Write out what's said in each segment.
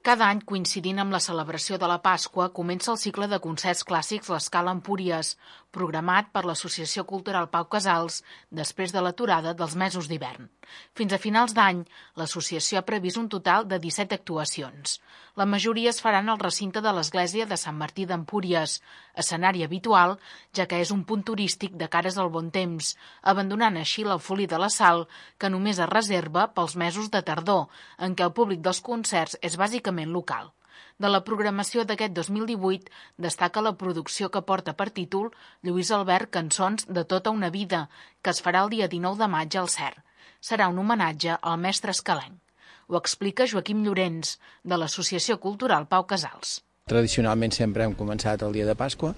Cada any, coincidint amb la celebració de la Pasqua, comença el cicle de concerts clàssics L'Escala Empúries, programat per l'Associació Cultural Pau Casals després de l'aturada dels mesos d'hivern. Fins a finals d'any, l'associació ha previst un total de 17 actuacions. La majoria es faran al recinte de l'església de Sant Martí d'Empúries, escenari habitual, ja que és un punt turístic de cares al bon temps, abandonant així l'eufoli de la Sal, que només es reserva pels mesos de tardor, en què el públic dels concerts és bàsicament local. De la programació d'aquest 2018 destaca la producció que porta per títol Lluís Albert Cançons de tota una vida, que es farà el dia 19 de maig al CER. Serà un homenatge al mestre escalenc. Ho explica Joaquim Llorens, de l'Associació Cultural Pau Casals. Tradicionalment sempre hem començat el dia de Pasqua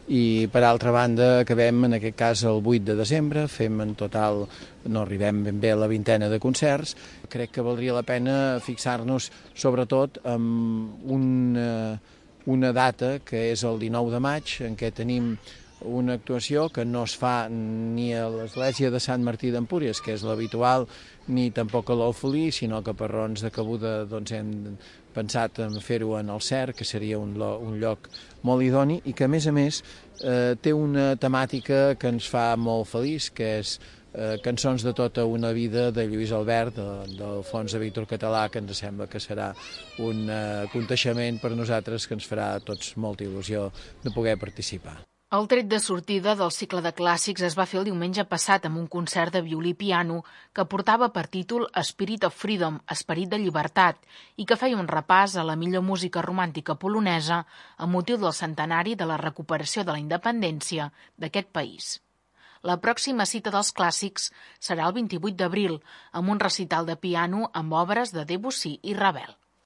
i, per altra banda, acabem en aquest cas el 8 de desembre, fem en total, no arribem ben bé a la vintena de concerts. Crec que valdria la pena fixar-nos sobretot en una data que és el 19 de maig, en què tenim una actuació que no es fa ni a l'església de Sant Martí d'Empúries, que és l'habitual, ni tampoc a l'Alfolí, sinó que per raons de cabuda hem pensat en fer-ho en el CER, que seria un lloc molt idoni i que, a més, té una temàtica que ens fa molt feliç, que és Cançons de tota una vida de Lluís Albert, del fons de Víctor Català, que ens sembla que serà un aconteixement per nosaltres que ens farà a tots molta il·lusió de poder participar. El tret de sortida del cicle de clàssics es va fer el diumenge passat amb un concert de violí i piano que portava per títol Spirit of Freedom, Esperit de Llibertat, i que feia un repàs a la millor música romàntica polonesa amb motiu del centenari de la recuperació de la independència d'aquest país. La pròxima cita dels clàssics serà el 28 d'abril, amb un recital de piano amb obres de Debussy i Ravel.